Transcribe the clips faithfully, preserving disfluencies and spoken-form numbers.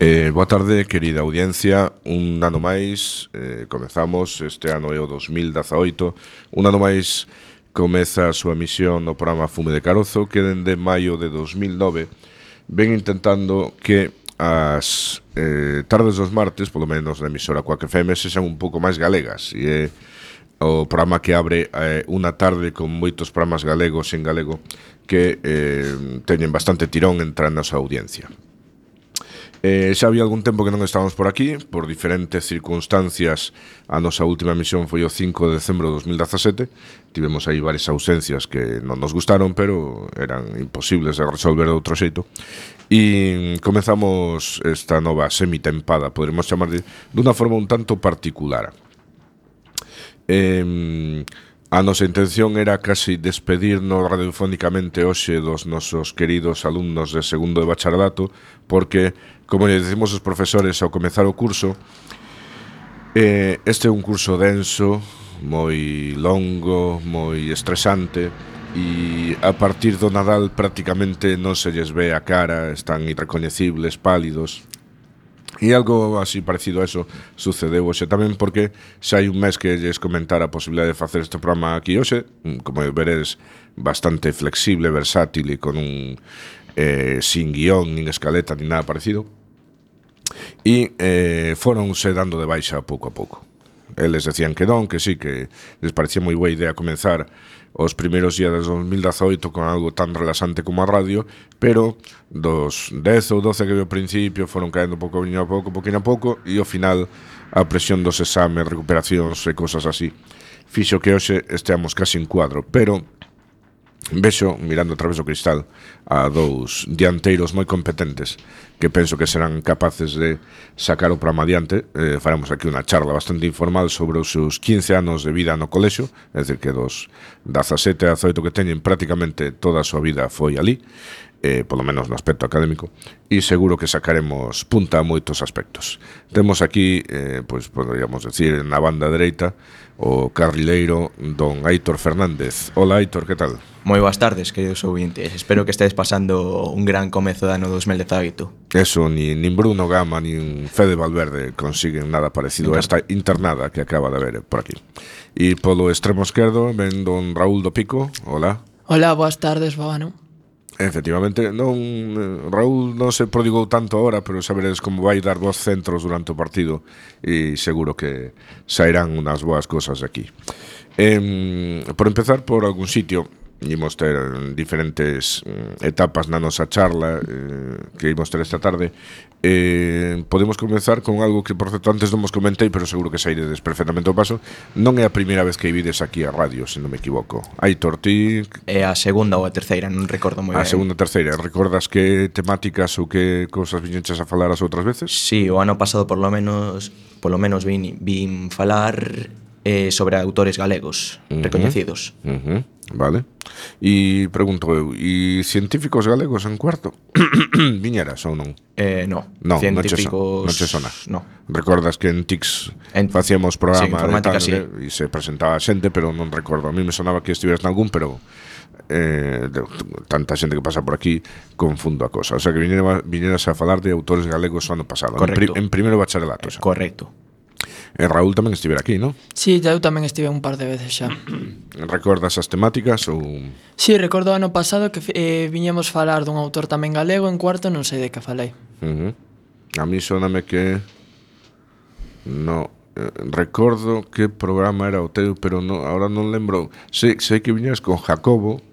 Eh, boa tarde, querida audiencia. Un ano máis, eh, comezamos, este ano é o dos mil dezaoito. Un ano máis comeza a súa misión no programa Fume de Carozo, que dende maio de dos mil nove ven intentando que as eh, tardes dos martes, polo menos na emisora Quack F M, sexan un pouco máis galegas. E é o programa que abre eh, unha tarde con moitos programas galegos en galego que eh, teñen bastante tirón entre a nosa audiencia. Eh, xa había algún tempo que non estábamos por aquí, por diferentes circunstancias. A nosa última emisión foi o cinco de decembro de dos mil dezasete. Tivemos aí varias ausencias que non nos gustaron, pero eran imposibles de resolver de outro xeito. E comezamos esta nova semitempada, poderemos chamar de dunha forma un tanto particular. Eh... A nosa intención era casi despedirnos radiofónicamente hoxe dos nosos queridos alumnos de segundo de bacharelato, porque, como lle decimos os profesores ao comezar o curso, eh, este é un curso denso, moi longo, moi estresante, e a partir do Nadal prácticamente non se lles ve a cara, están irrecoñecibles, pálidos. E algo así parecido a eso sucedeu hoxe tamén, porque xa hai un mes que lles comentara a posibilidade de facer este programa aquí hoxe, como veredes, bastante flexible, versátil e con un eh, sin guión, nin escaleta, nin nada parecido. E eh, foronse dando de baixa pouco a pouco. Eles decían que non, que sí, que les parecía moi boa idea comenzar os primeiros días de dos mil dezaoito con algo tan relaxante como a radio, pero dos dez ou doce que vi ao principio foron caendo pouco a pouco, pouquinho a pouco, e ao final a presión dos exames, recuperacións e cosas así fixo que hoxe esteamos casi en cuadro, pero vexo, mirando a través do cristal, a dous dianteiros moi competentes que penso que serán capaces de sacar o programa adiante. Eh, faremos aquí unha charla bastante informal sobre os seus quince anos de vida no colexio, é dicir, que dos dezasete a dezaoito que teñen prácticamente toda a súa vida foi ali, eh, polo menos no aspecto académico, e seguro que sacaremos punta a moitos aspectos. Temos aquí, eh, pois poderíamos decir, na banda dereita, o carrileiro don Aitor Fernández. Hola, Aitor, que tal? Moi boas tardes, queridos ouvintes. Espero que estedes pasando un gran comezo de ano dos mil dezaoito. Eso, ni, nin Bruno Gama, nin Fede Valverde consiguen nada parecido a esta internada que acaba de haber por aquí. E polo extremo esquerdo ven don Raúl do Pico. Hola. Hola, boas tardes, Babano. Efectivamente, non, Raúl non se prodigou tanto agora, pero saberedes como vai dar vos centros durante o partido e seguro que sairán unhas boas cosas de aquí. Eh, por empezar por algún sitio, imos ter diferentes etapas na nosa charla eh, que imos ter esta tarde. Eh, podemos comenzar con algo que, por certo, antes non vos comentei, pero seguro que sairedes perfectamente o paso. Non é a primeira vez que vides aquí a radio, se non me equivoco. Aitor, ti... É a segunda ou a terceira, non recordo moi ben. A segunda ou terceira. Recordas que temáticas ou que cousas viñenches a falar as outras veces? Sí, o ano pasado por lo menos, por lo menos vin, vin falar eh, sobre autores galegos uh-huh. recoñecidos. Uh-huh. Vale. E pregunto eu, e científicos galegos en cuarto? Viñeras ou non? Eh, no, no científicos... Non che sona? No. Recordas que en T I C en... facíamos programa sí, informática, de sí. E se presentaba xente, pero non recordo. A mí me sonaba que estiveras nalgún, pero eh, de, tanta xente que pasa por aquí confundo a cosa. O sea que viñeras, viñeras a falar de autores galegos o ano pasado. Correcto. En, pri, en primeiro bacharelato. Eh, correcto. E Raúl tamén estivera aquí, non? Sí, eu tamén estive un par de veces xa. Recordas as temáticas ou...? Sí, recordo o ano pasado que eh, viñemos falar dun autor tamén galego, en cuarto non sei de que falei. Uh-huh. A mí soname que... No, eh, recordo que programa era o teu, pero no, ahora non lembro. Sei, sei que viñas con Jacobo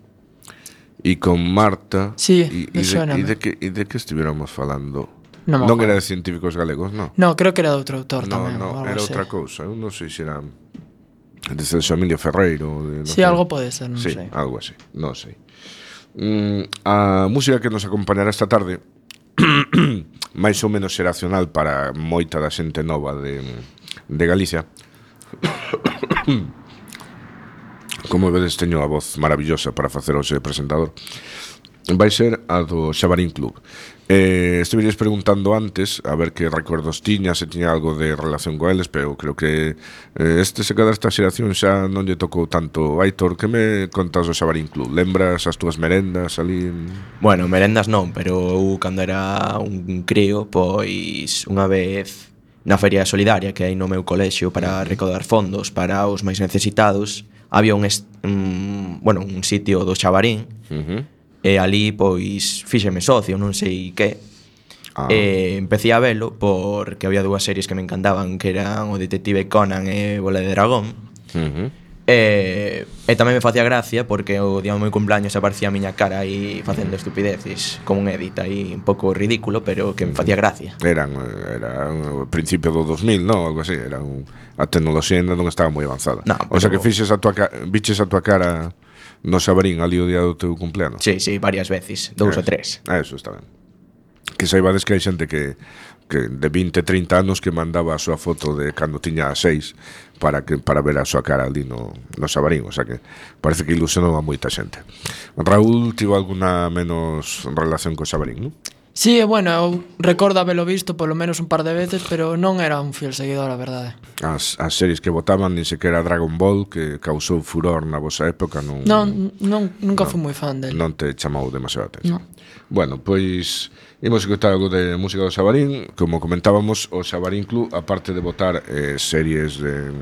e con Marta. Sí, e, me suena. E de, que, e de que estiveramos falando? Non, non era de científicos galegos, non? No, creo que era de outro autor no, tamén. No, era era outra cousa. Eu non sei se era de Celso Emilio Ferreiro. De, no sí, sé. Algo pode ser, non sí, sei. Algo así, non sei. Mm, a música que nos acompañará esta tarde máis ou menos xeracional para moita da xente nova de, de Galicia. Como vedes, teño a voz maravillosa para facer hoxe de presentador. vai ser a do Xabarín Club. Eh, Estiveres preguntando antes a ver que recordos tiña, se tiña algo de relación co eles, pero creo que eh, este se cada esta xeración xa non lle tocou tanto. Aitor, que me contas do Xabarín Club? Lembras as túas merendas ali? Bueno, merendas non, pero eu cando era un crío, pois unha vez na feria solidaria que hai no meu colexio para recaudar fondos para os máis necesitados, había un, est- un bueno, un sitio do Xabarín. Uh-huh. E ali, pois, fíxeme socio, non sei que. Ah. E empecé a velo porque había dúas series que me encantaban, que eran o Detective Conan e Bola de Dragón. Uh-huh. E, e tamén me facía gracia porque o día do meu cumpleaños aparecía a miña cara aí facendo estupideces, como un edit aí un pouco ridículo, pero que me facía gracia. Eran, era o principio do dos mil, non? Algo así, era un, a tecnoloxía ainda non estaba moi avanzada. No, o sea pero- que fixes a tua ca- biches a tua cara no Xabarín ali o día do teu cumpleanos. Sí, sí, varias veces, dous Eso. ou tres. Ah, eso está ben. Que saibades que hai xente que, que de vinte, trinta anos que mandaba a súa foto de cando tiña seis para que para ver a súa cara ali no, no Xabarín, o sea que parece que ilusionou a moita xente. Raúl tivo alguna menos relación co Xabarín, non? Sí, bueno, eu recordo habelo visto polo menos un par de veces, pero non era un fiel seguidor, a verdade. As, as series que votaban, nin sequera Dragon Ball, que causou furor na vosa época, non, Non, non nunca fui moi fan del. non te chamou demasiado a atención. Non. Bueno, pois imos escutar algo de música do Xabarín. Como comentábamos, o Xabarín Club, aparte de votar eh, series de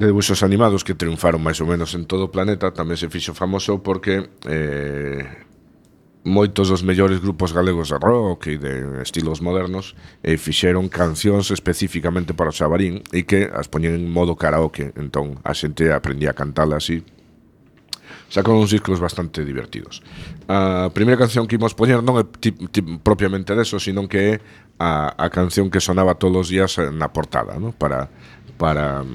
de debuxos animados que triunfaron máis ou menos en todo o planeta, tamén se fixo famoso porque eh, moitos dos mellores grupos galegos de rock e de estilos modernos eh, fixeron cancións especificamente para o Xabarín e que as poñen en modo karaoke, entón a xente aprendía a cantala así. Sacaron uns discos bastante divertidos. A primeira canción que imos poñer non é ti, ti, propiamente deso, sino que é a, a canción que sonaba todos os días na portada, ¿no? para para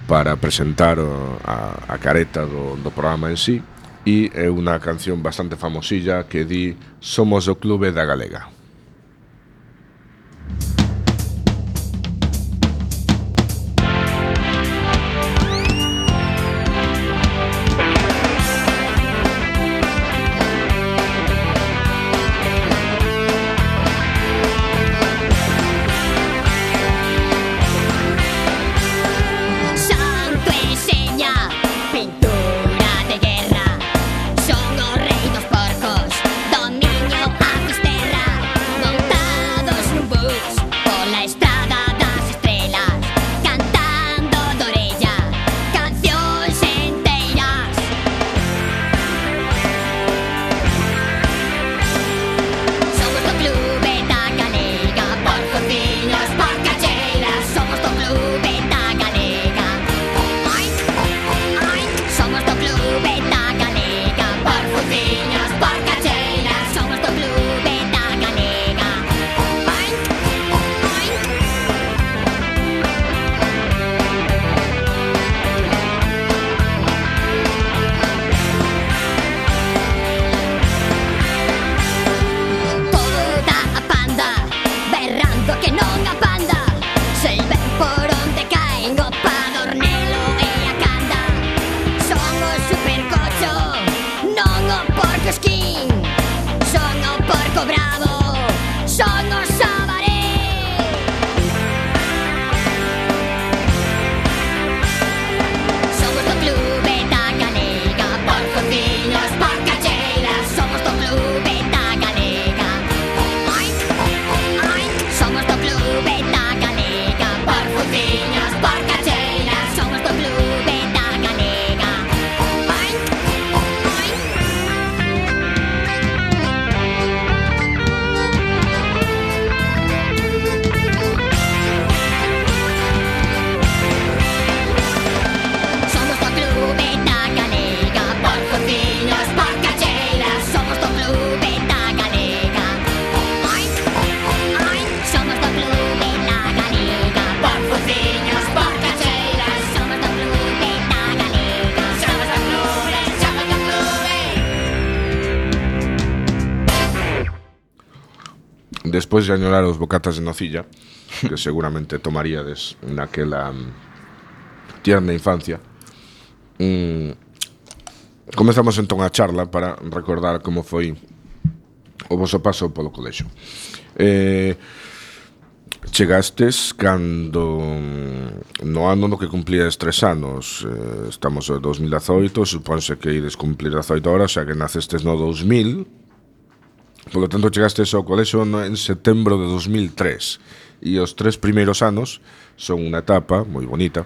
para presentar o, a, a careta do, do programa en sí. E é unha canción bastante famosilla que di Somos o Clube da Galega. Santo e seña, pintura de guerra. Son os rei dos porcos, dominio a fisterra. Montados nun bus, pola estrada das estrelas, cantando de orella, cancións enteiras. Somos do clube da galega, por cociños, por cacheiras. Somos do clube da galega. Ai, ai, somos do clube da galega, por cociños, por cacheiras. Somos do clube da galega. Ai, ai. Toda a panda berrando que non a panda. Sei ben por onde caen o padornelo e a canda. Son o supercocho, non o porco esquín. Son o porco bravo, son o Xabaré. Somos do clube da galega, por cociños, por cacheiras. Somos do clube da galega. Ai, ai, somos do clube da galega, por cociños, por cacheiras. Somos do clube da galega. Ai, ai. Somos do clube da galega, por cociños, por cacheiras. Somos do clube da galega. Ai, ai, somos do clube da galega, por cociños, por cacheiras. Somos do clube da galega. Somos do clube, somos do clube. Despois de añorar os bocatas de nocilla, que seguramente tomaríades naquela mm, tierna infancia, mm, comezamos entón a charla para recordar como foi o vosso paso polo colexio. Eh, chegastes cando no ano no que cumplías tres anos, eh, estamos en dos mil dezoito, supónse que ides cumplir dezoito horas, xa que nacestes no dous mil. Polo tanto, chegastes ao colexio en setembro de dos mil tres. E os tres primeiros anos son unha etapa moi bonita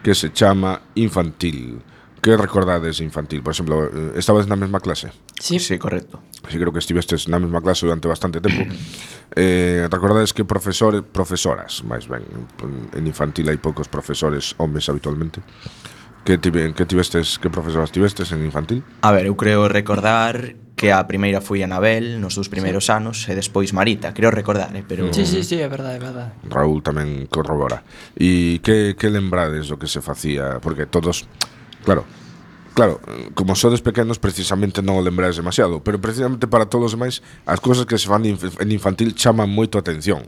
que se chama infantil. Que recordades infantil? Por exemplo, estabas na mesma clase? Sí, sí, correcto. Sí, creo que estivestes na mesma clase durante bastante tempo. eh, recordades que profesores, profesoras, máis ben, en infantil hai poucos profesores homes habitualmente. Que, tive, que tivestes, que profesoras tivestes en infantil? A ver, eu creo recordar que a primeira foi Anabel nos dous primeiros sí. anos e despois Marita, creo recordar, eh, pero Sí, sí, sí, é verdade, é verdade. Raúl tamén corrobora. E que, que lembrades do que se facía? Porque todos, claro, claro, como sodes pequenos precisamente non o lembrades demasiado, pero precisamente para todos os demais as cousas que se fan en infantil chaman moito a atención.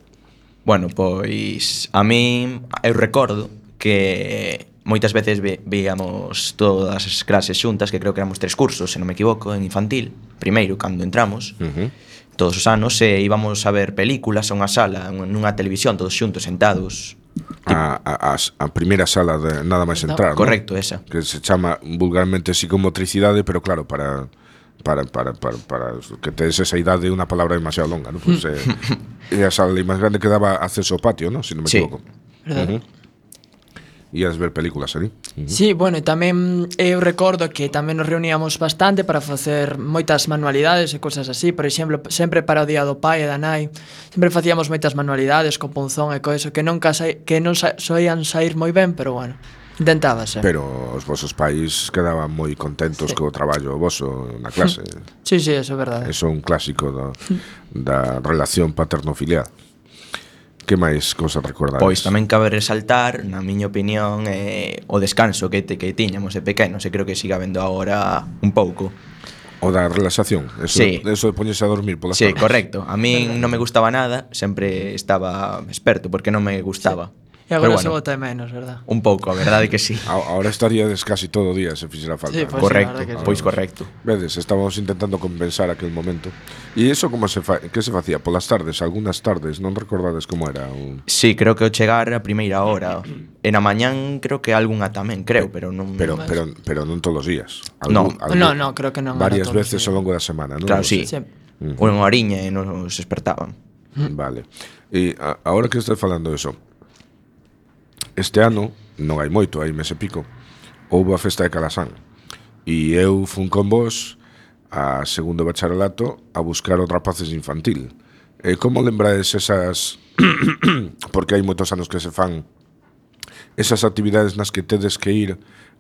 Bueno, pois a mí eu recordo que moitas veces ve, veíamos todas as clases xuntas, que creo que éramos tres cursos, se non me equivoco, en infantil, primeiro cando entramos, Uh-huh. todos os anos, e íbamos a ver películas a unha sala, nunha televisión, todos xuntos, sentados. A, a, a primeira sala de nada máis entrar, Correcto, ¿no? esa. Que se chama vulgarmente psicomotricidade, pero claro, para para para para, para que tedes esa idade unha palabra demasiado longa, ¿no? Pues, eh, e a sala máis grande que daba acceso ao patio, ¿no? Si non me Sí. equivoco. Verdade. Uh-huh. Ias ver películas ali. Uh-huh. Sí, bueno, e tamén eu recordo que tamén nos reuníamos bastante para facer moitas manualidades e cousas así. Por exemplo, sempre para o día do pai e da nai, sempre facíamos moitas manualidades con punzón e coiso que nunca sa que non sa soían sair moi ben, pero bueno, intentábase. Pero os vosos pais quedaban moi contentos Sí. co traballo voso na clase. Sí, sí, eso é verdade. Eso é un clásico do, da relación paterno-filial. Que máis cousas recordades? Pois tamén cabe resaltar, na miña opinión, eh, o descanso que, te, que tiñamos de pequenos, e creo que siga vendo agora un pouco. O da relaxación, eso, Sí. eso de poñerse a dormir polas Sí, tardes. correcto. A min non me gustaba nada, sempre estaba experto porque non me gustaba. E agora Pero se bueno, bota de menos, verdad? un pouco, a verdade que sí. A, ahora estaríades casi todo o día se fixera falta. Sí, pues, Correcto, sí, la verdad que sí. pois correcto. Vedes, estábamos intentando compensar aquel momento. E iso como se fa, que se facía polas tardes, algunhas tardes, non recordades como era un... Sí, creo que o chegar a primeira hora. E na mañán creo que algunha tamén, creo, pero non... Pero pero pero non todos os días. No. No, no, creo que non era Varias todos os veces días. ao longo da semana, non? Claro, Non sí. sei. Sí. Unha horiña e nos despertaban. Vale. E a, agora que estás falando de eso, este ano, non hai moito, hai mes e pico, houve a festa de Calasán. E eu fun con vos a segundo bacharelato a buscar os rapaces infantil. E como lembrades esas... porque hai moitos anos que se fan esas actividades nas que tedes que ir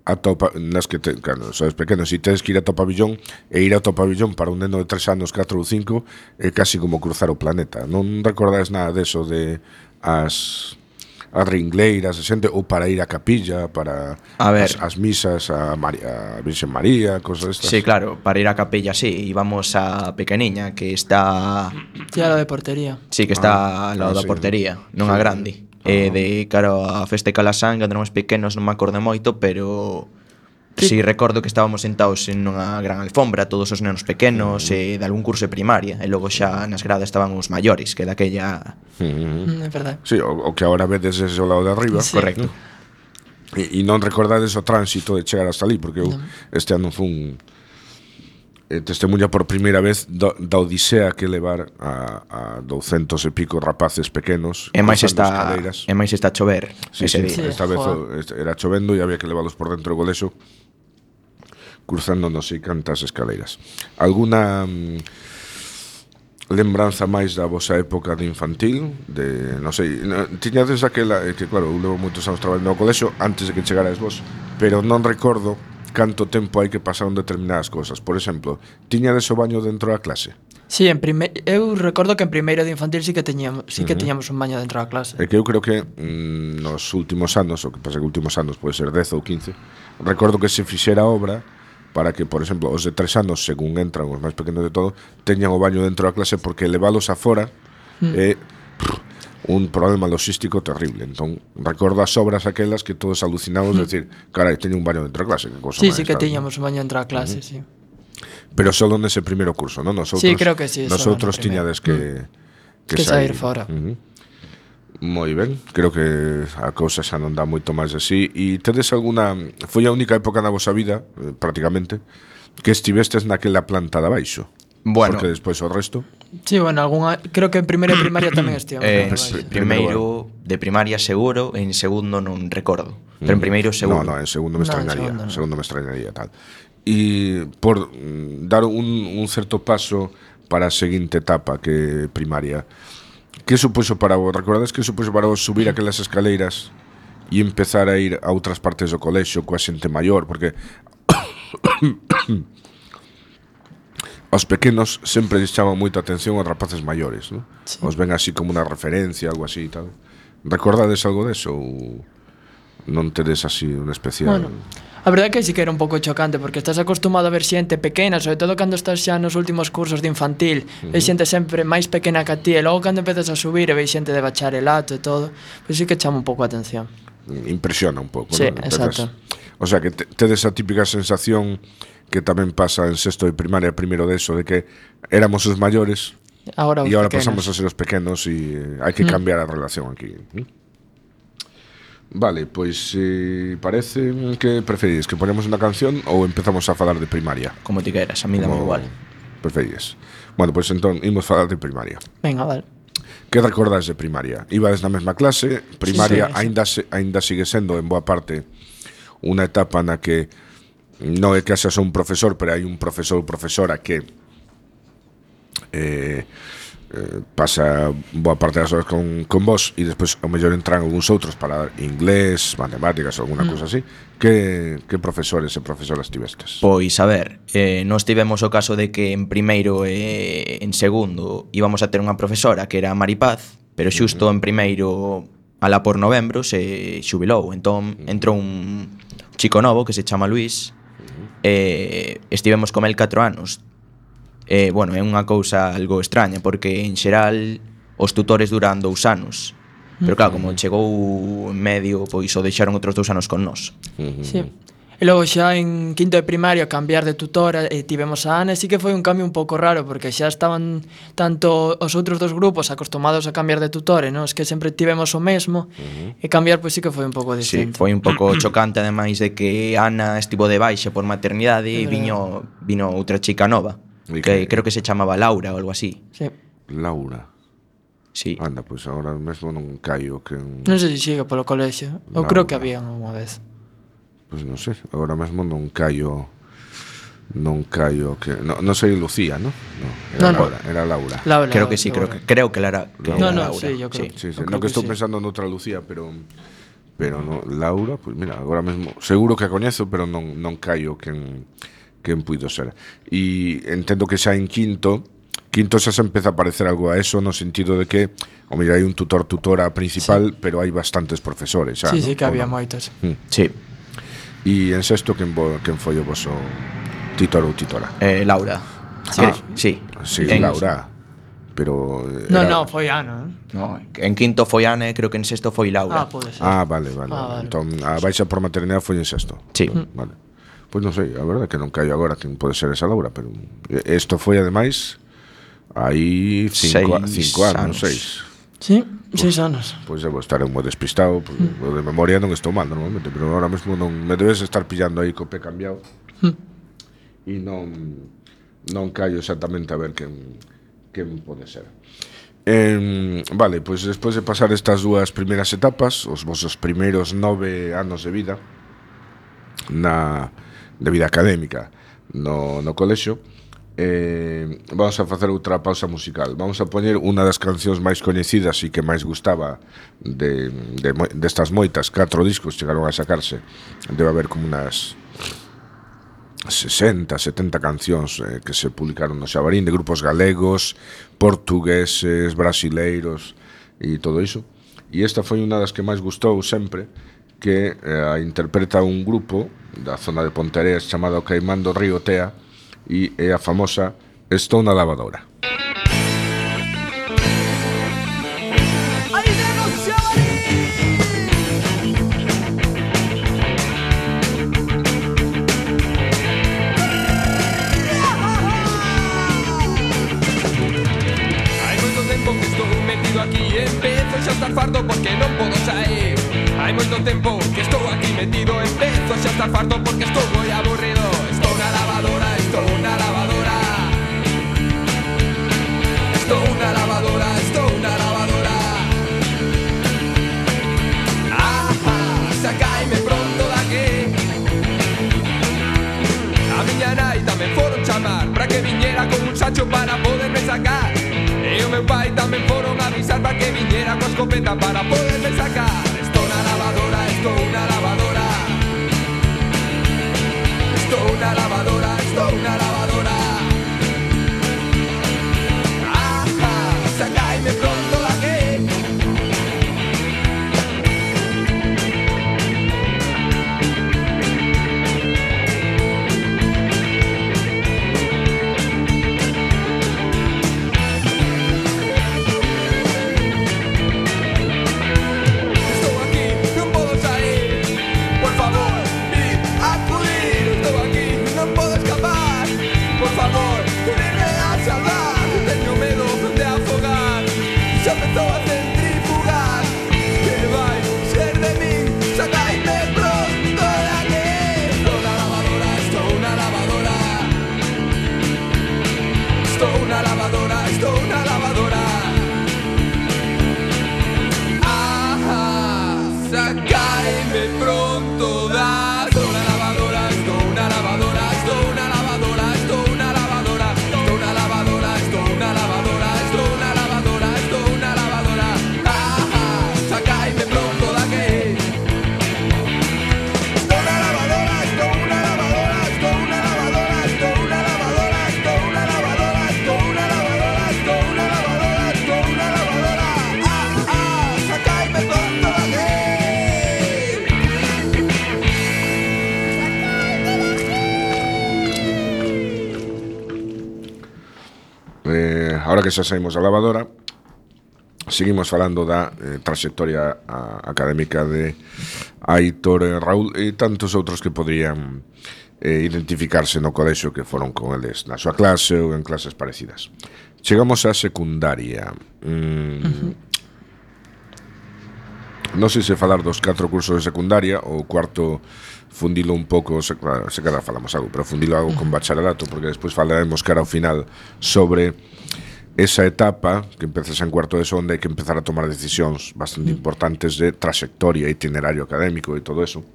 ata o pa... nas que te... claro, sois pequenos, e tedes que ir ata o pabillón, e ir ata o pabillón para un neno de tres anos, catro ou cinco é casi como cruzar o planeta. Non recordades nada deso de as as ringleiras, a xente, ou para ir á capilla, para A ver. as, as misas a, María, a Virxen María, cosas estas. Sí, claro, para ir á capella, sí, íbamos a Pequeniña, que está... Sí, a lo de portería. Sí, que está Ah, ao lado ah, da sí. portería, non a grande. E de caro a festa de Calasán, cando éramos pequenos non me acordo moito, pero Sí. sí recordo que estábamos sentados en unha gran alfombra, todos os nenos pequenos e de algún curso de primaria, e logo xa nas gradas estaban os maiores, que daquella... Mm. Mm, é verdade. Sí, o, o que agora vedes ese ao lado de arriba. Sí. Correcto. E, e non recordades o tránsito de chegar hasta ali, porque eu este ano fun eh, testemunha por primeira vez do, da odisea que levar a, a douscentos e pico rapaces pequenos E máis cruzando está, escaleiras. e máis está a chover Sí, ese sí, día. Sí, esta vez o, joder. este- era chovendo e había que leválos por dentro do colexo cruzando non sei cantas escaleiras. Alguna mm, lembranza máis da vosa época de infantil, de, non sei, no, tiñades aquela, eh, que claro, eu levo moitos anos traballando no colexo antes de que chegarais vos, pero non recordo canto tempo hai que pasar en determinadas cousas. Por exemplo, tiñades o baño dentro da clase? Sí, en prime... eu recordo que en primeiro de infantil sí que teñamos, sí que teñamos un baño dentro da clase. É que eu creo que mm, nos últimos anos, o que pasa que últimos anos pode ser dez ou quince, recordo que se fixera obra para que, por exemplo, os de tres anos, según entran os máis pequenos de todo, teñan o baño dentro da clase, porque leválos afora mm. é... un problema logístico terrible. Entón, recordo as obras aquelas que todos alucinamos, mm. decir, carai, teño un baño dentro da clase, que cosa Sí, máis, sí que tal, tiñamos un baño dentro da clase, uh-huh. sí. Pero solo nese primeiro curso, non? Nosotros, Sí, creo que sí, nosotros solo no tiñades que, que, que sair fora. Uh-huh. Moi ben, creo que a cousa xa non dá moito máis así. E tedes alguna... Foi a única época na vosa vida, eh, prácticamente, que estivestes naquela planta de abaixo? Bueno, porque despois o resto... Sí, bueno, alguna, creo que en primeiro de primaria tamén estivemos. Eh, Eh, primeiro de primaria seguro, en segundo non recordo. Pero en primeiro seguro. No, no, en segundo me No, en extrañaría. segundo En no. segundo me extrañaría tal. E por mm, dar un, un certo paso para a seguinte etapa que primaria, que supuxo para vos? Recordades que supuxo para vos subir aquelas escaleiras e empezar a ir a outras partes do colexio coa xente maior? Porque aos pequenos sempre lles chama moita atención aos rapaces maiores, ¿no? Sí. Os ven así como unha referencia, algo así e tal. Recordades algo deso ou non tedes así un especial? Bueno, a verdade é que sí que era un pouco chocante, porque estás acostumado a ver xente pequena, sobre todo cando estás xa nos últimos cursos de infantil, uh-huh. Ves xente sempre máis pequena que a ti, e logo cando empezas a subir e veis xente de bacharelato e todo, pois sí que chama un pouco a atención. Impresiona un pouco, Sí, ¿no? exacto. O sea, que te, tedes a típica sensación que tamén pasa en sexto de primaria, primeiro de eso, de que éramos os maiores Ahora os e agora pequenos. pasamos a ser os pequenos e eh, hai que cambiar a relación aquí. ¿Mm? Vale, pois eh, parece que preferís que ponemos unha canción ou empezamos a falar de primaria? Como ti queras, a mí dame Como igual. Preferís? Bueno, pois entón imos falar de primaria. Venga, vale. Que recordades de primaria? Ibades na mesma clase, primaria Sí, sí, sí. aínda se, aínda sigue sendo en boa parte unha etapa na que non é que haxas un profesor, pero hai un profesor ou profesora que eh, eh, pasa boa parte das horas con, con vos e despois ao mellor entran algúns outros para inglés, matemáticas ou alguna mm. cousa así. Que, que profesores e profesoras tivestes? Pois, a ver, eh, nós tivemos o caso de que en primeiro e en segundo íbamos a ter unha profesora que era Maripaz, pero xusto en primeiro, alá por novembro, se xubilou. Entón, entrou un chico novo que se chama Luís, e estivemos con el catro anos. E, bueno, é unha cousa algo extraña, porque en xeral os tutores duran dous anos. Pero claro, como chegou en medio, pois o deixaron outros dous anos con nós. Sí. E logo xa en quinto de primaria cambiar de tutora e tivemos a Ana, e sí que foi un cambio un pouco raro, porque xa estaban tanto os outros dos grupos acostumados a cambiar de tutore, non? Es que sempre tivemos o mesmo, uh-huh. E cambiar pois sí que foi un pouco Sí, distinto. foi un pouco chocante, ademais de que Ana estivo de baixa por maternidade e É viño, vino outra chica nova, E que que- creo que se chamaba Laura ou algo así. Sí. Laura. Sí. Anda, pois agora mesmo non caio que... Non sei se sigue polo colexio. Eu Laura. creo que había unha vez. Pois non sei, agora mesmo non caio... Non caio que... Non, non sei Lucía, ¿no? No, era No, no. Laura, era Laura. Laura, Creo que sí, creo que creo que Lara, que No, era no, Laura. sí, yo creo. Sí, sí, Eu no creo que que estou sí. pensando noutra Lucía, pero... Pero no, Laura, pois mira, agora mesmo... Seguro que a coñezo, pero non, non caio quen, quen puido ser. E entendo que xa en quinto... Quinto xa se empeza a parecer algo a eso, no sentido de que... O mira, hai un tutor-tutora principal, sí. Pero hai bastantes profesores xa, Sí, ¿no? sí, que Ou había non? moitos. Sí. E en sexto, quen, vo, quen foi o voso titor ou titora? Eh, Laura. Sí. Ah, sí. Sí, En- Laura. Pero... eh, No, era- no, foi Ana, ¿eh? No, en quinto foi Ana e creo que en sexto foi Laura. Ah, pode ser. Ah, vale, vale. Ah, vale. Entón, a baixa por maternidade foi en sexto. Sí. Vale. Pois non sei, a verdade é que non caio agora quen pode ser esa Laura, pero isto foi ademais aí cinco, Seis cinco anos, anos. seis. Sí, seis anos. Pois debo estar moi despistado, porque o de memoria non estou mal normalmente, pero ahora mesmo non me debes estar pillando aí co pé cambiado. E non non caio exactamente a ver quen quen pode ser. Eh, vale, pois despois de pasar estas dúas primeiras etapas, os vosos primeiros nove anos de vida na de vida académica no, no colexio, eh, vamos a facer outra pausa musical. Vamos a poñer unha das cancións máis coñecidas e que máis gustaba de, de, destas moitas, catro discos chegaron a sacarse. Debe haber como unas sesenta, setenta cancións eh, que se publicaron no Xabarín, de grupos galegos, portugueses, brasileiros e todo iso. E esta foi unha das que máis gustou sempre, que eh, a interpreta un grupo da zona de Ponteareas chamado Caimán do Río Tea, e é a famosa Estou na lavadora. Ay, Comezo xa a estar farto porque estou moi aburrido. Estou na lavadora, estou na lavadora. Estou na lavadora, estou na lavadora. Ah, sacaime pronto daqui. A miña nai tamén foron chamar para que viñera con un sacho para poderme sacar. E o meu pai tamén foron avisar para que viñera coa escopeta para poderme sacar. Estou na lavadora, estou na lavadora. Estou na lavadora, estou na lavadora. Ah, sacaime pronto daqui. Estou aquí, non podo sair. Por favor, id a acudir. Estou aquí, non podo escapar. Por favor, venme a salvar. Teño medo de afogar. Xa empezou a centrifugar. Que vai ser de min? Sacaime pronto de aquí. Estou na lavadora, estou na lavadora. Estou na lavadora, estou na lavadora. Ah, sacaime pronto da. Estou na lavadora, estou na lavadora, estou na lavadora, estou na lavadora, estou na lavadora, estou na lavadora, estou na lavadora, estou na lavadora. Ah, sacaime pronto daqui. Estou na lavadora, estou na lavadora, estou na lavadora, estou na lavadora, estou na lavadora, estou na lavadora, estou na lavadora, estou na lavadora. Ah, ah, sacaime pronto daqui. Eh, ahora que xa saímos da lavadora, seguimos falando da eh, trayectoria a, académica de Aitor e Raúl e tantos outros que podrían eh, identificarse no colexio que foron con eles na súa clase ou en clases parecidas. Chegamos á secundaria. Mm, uh-huh. Non sei se falar dos catro cursos de secundaria ou cuarto fundilo un pouco, se, claro, se cada falamos algo, pero fundilo algo con bacharelato, porque despois falaremos cara ao final sobre esa etapa que empezas en cuarto de sonda e que empezar a tomar decisións bastante importantes de trayectoria, itinerario académico e todo eso,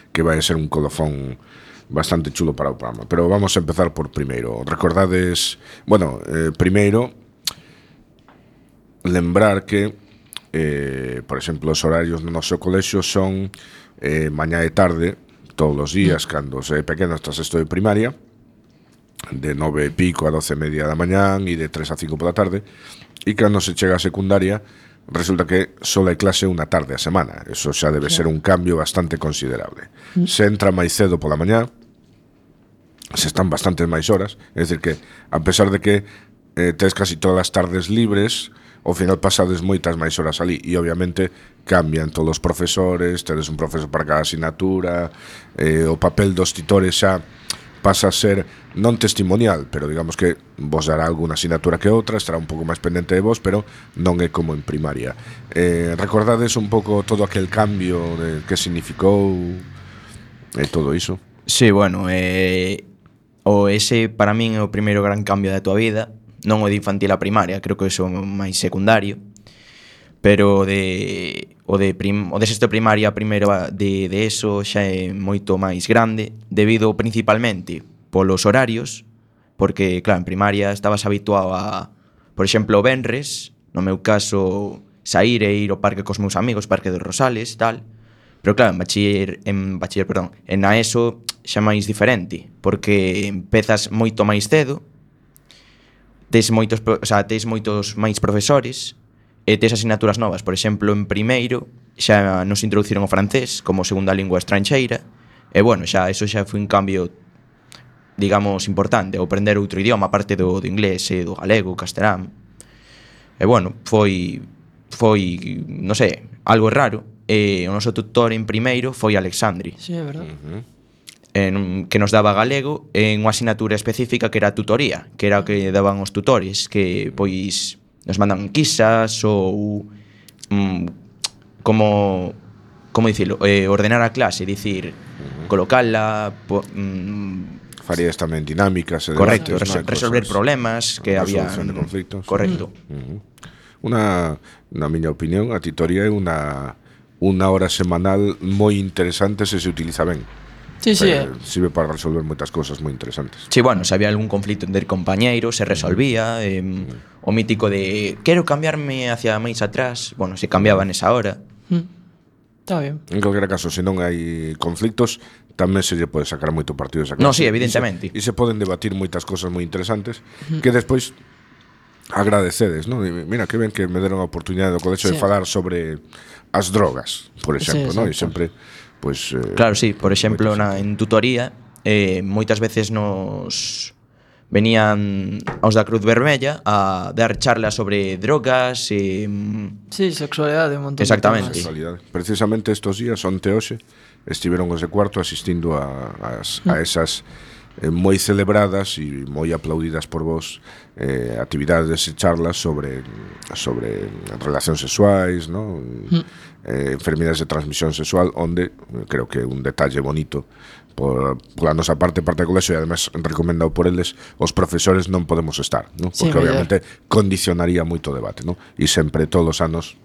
que vai a ser un colofón bastante chulo para o programa. Pero vamos a empezar por primeiro. Recordades, bueno, eh, primeiro lembrar que eh, por exemplo, os horarios no noso colexio son eh, mañá e tarde todos os días, cando se é pequeno hasta sexto de primaria, de nove e pico a doce e media da mañán e de tres a cinco pola tarde, e cando se chega a secundaria resulta que só hai clase unha tarde a semana. Eso xa debe ser un cambio bastante considerable. Se entra máis cedo pola mañá, se están bastantes máis horas, é dicir que a pesar de que eh, tes casi todas as tardes libres, ao final pasades moitas máis horas ali e obviamente cambian todos os profesores, tedes un profesor para cada asignatura, eh, o papel dos titores xa pasa a ser non testimonial, pero digamos que vos dará alguna asignatura que outra, estará un pouco máis pendente de vos, pero non é como en primaria. Eh, recordades un pouco todo aquel cambio de que significou e eh, todo iso? Sí, bueno, eh, o ese para min é o primeiro gran cambio da tua vida, non o de infantil a primaria, creo que iso é máis secundario, pero de o de prim, o de sexto de primaria a primeiro de de eso xa é moito máis grande, debido principalmente polos horarios, porque claro, en primaria estabas habituado a, por exemplo, o venres, no meu caso, saír e ir ao parque cos meus amigos, Parque dos Rosales, tal. Pero claro, en bachiller, en bachiller, perdón, en a eso xa máis diferente, porque empezas moito máis cedo, tes moitos, o sea, tes moitos máis profesores e tes asignaturas novas. Por exemplo, en primeiro xa nos introduciron o francés como segunda lingua estranxeira e, bueno, xa eso xa foi un cambio, digamos, importante, o aprender outro idioma aparte do, do inglés e do galego, castelán. E, bueno, foi, foi, non sei, algo raro. E o noso tutor en primeiro foi Alexandri. Sí, é verdade. Uh-huh. En, que nos daba galego en unha asignatura específica que era tutoría, que era o que daban os tutores, que pois nos mandan quizas ou mm, como como dicilo, eh, ordenar a clase, dicir, uh-huh. colocala, po, mm, farías tamén dinámicas e correcto, debates, resol- ¿no? resolver Cosas, problemas que había resolución de conflictos. correcto. Uh-huh. Una, na miña opinión, a titoría é unha unha hora semanal moi interesante se se utiliza ben. Sí, sí, Eh, eh. sirve para resolver moitas cousas moi interesantes. Sí, bueno, se había algún conflito entre compañeiros, se resolvía, eh, o mítico de quero cambiarme hacia máis atrás, bueno, se cambiaba nesa hora. Mm. Está bien. En calquera caso, se non hai conflictos, tamén se lle pode sacar moito partido esa No, clase. sí, evidentemente. E se, e se poden debatir moitas cosas moi interesantes que despois agradecedes, non? E mira, que ben que me deron a oportunidade do colexio Sí. de falar sobre as drogas, por exemplo, Sí, non? E exacto. sempre, pois... Eh, Claro, sí, por exemplo, moitas- na, en tutoría eh, moitas veces nos venían aos da Cruz Vermella a dar charlas sobre drogas e mm, Sí, sexualidade, un montón Exactamente. de temas. Sexualidade. Precisamente estos días, onte hoxe, estiveron os de cuarto asistindo a, as, a esas eh, moi celebradas e moi aplaudidas por vos eh, actividades e charlas sobre sobre relacións sexuais, ¿no? eh, enfermidades de transmisión sexual, onde eh, creo que un detalle bonito por, pola nosa parte, parte do colexio, e además recomendado por eles, os profesores non podemos estar, ¿no? Sí, Porque mellor. obviamente condicionaría moito o debate, ¿no? E sempre todos os anos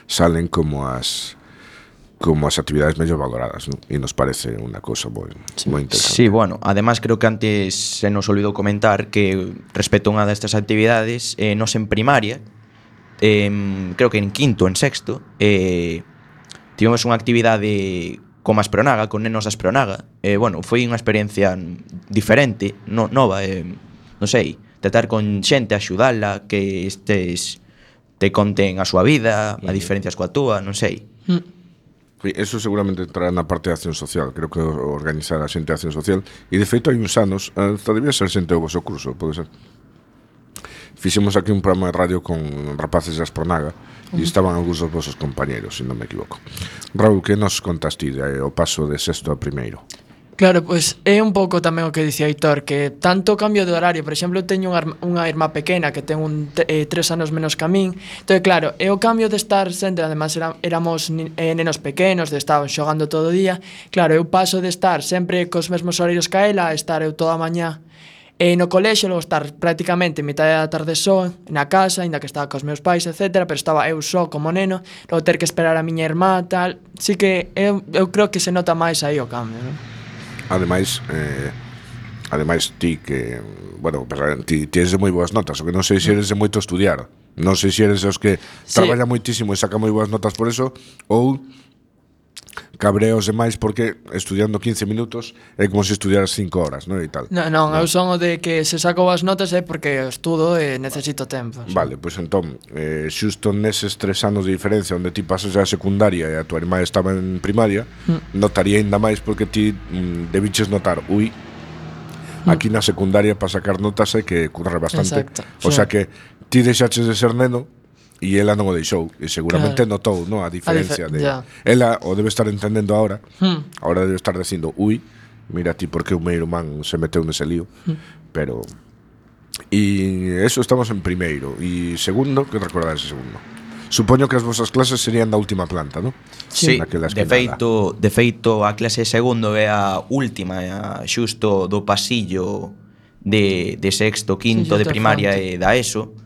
salen como as como as actividades mellor valoradas, ¿no? E nos parece unha cousa moi moi interesante. sí, bueno, además creo que antes se nos olvidou comentar que respecto a unha destas actividades, eh, nos en primaria, eh, creo que en quinto, en sexto, eh, tivemos unha actividade como a Aspronaga, con nenos da Aspronaga. Eh, bueno, foi unha experiencia diferente, no, nova, eh, non sei, tratar con xente, axudala, que estes te conten a súa vida, a diferencias coa túa, non sei. Mm. Sí, eso seguramente entrará na parte de acción social. Creo que organizar a xente de acción social. E de feito hai uns anos, hasta debía ser xente do vosso curso, pode ser. Fixemos aquí un programa de radio con rapaces de Aspronaga e estaban algúns dos vosos compañeros, se non me equivoco. Raúl, que nos contaste de, o paso de sexto a primeiro? Claro, pois é un pouco tamén o que dicía Aitor, que tanto cambio de horario, por exemplo, eu teño unha, arma- unha irmá pequena que ten un te- eh, tres anos menos que a min. Entón, claro, é o cambio de estar sempre, además era, éramos ni- eh, nenos pequenos, de estar xogando todo o día. Claro, eu paso de estar sempre cos mesmos horarios que a ela, a estar eu toda a mañá e no colexio, logo estar prácticamente mitad da tarde só na casa, aínda que estaba cos meus pais, etcétera, pero estaba eu só como neno, logo ter que esperar a miña irmá, tal. Sí que eu, eu creo que se nota máis aí o cambio, non? Ademais, eh, ademais ti que, bueno, pues, ti tienes de moi boas notas, o que non sei se eres de moito estudiar. Non sei se eres os que Sí. traballa moitísimo e saca moi boas notas por eso, ou cabreos demais porque estudiando quince minutos é como se estudiaras cinco horas, non? E tal. Non, non, eu son o de que se saco as notas é porque estudo e necesito tempo. Vale, pois entón, eh, xusto neses tres anos de diferencia onde ti pasas a secundaria e a tua irmá estaba en primaria, mm. notaría ainda máis porque ti mm, debiches notar, ui, aquí na secundaria para sacar notas hai que currar bastante. Exacto, O sí. sea que ti deixaches de ser neno e ela non o deixou e seguramente Claro. notou, no, a diferencia A de dife- ya. ela o debe estar entendendo ahora. Hmm. Ahora debe estar dicindo, ui, mira ti porque o meu irmán se meteu nese lío. Hmm. Pero e eso estamos en primeiro e segundo, que recordades ese segundo? Supoño que as vosas clases serían da última planta, ¿no? Sí, Naquela de esquinada. feito, de feito a clase de segundo é a última, é a xusto do pasillo de, de sexto, quinto Sí, de xusto primaria fronte. e da ESO,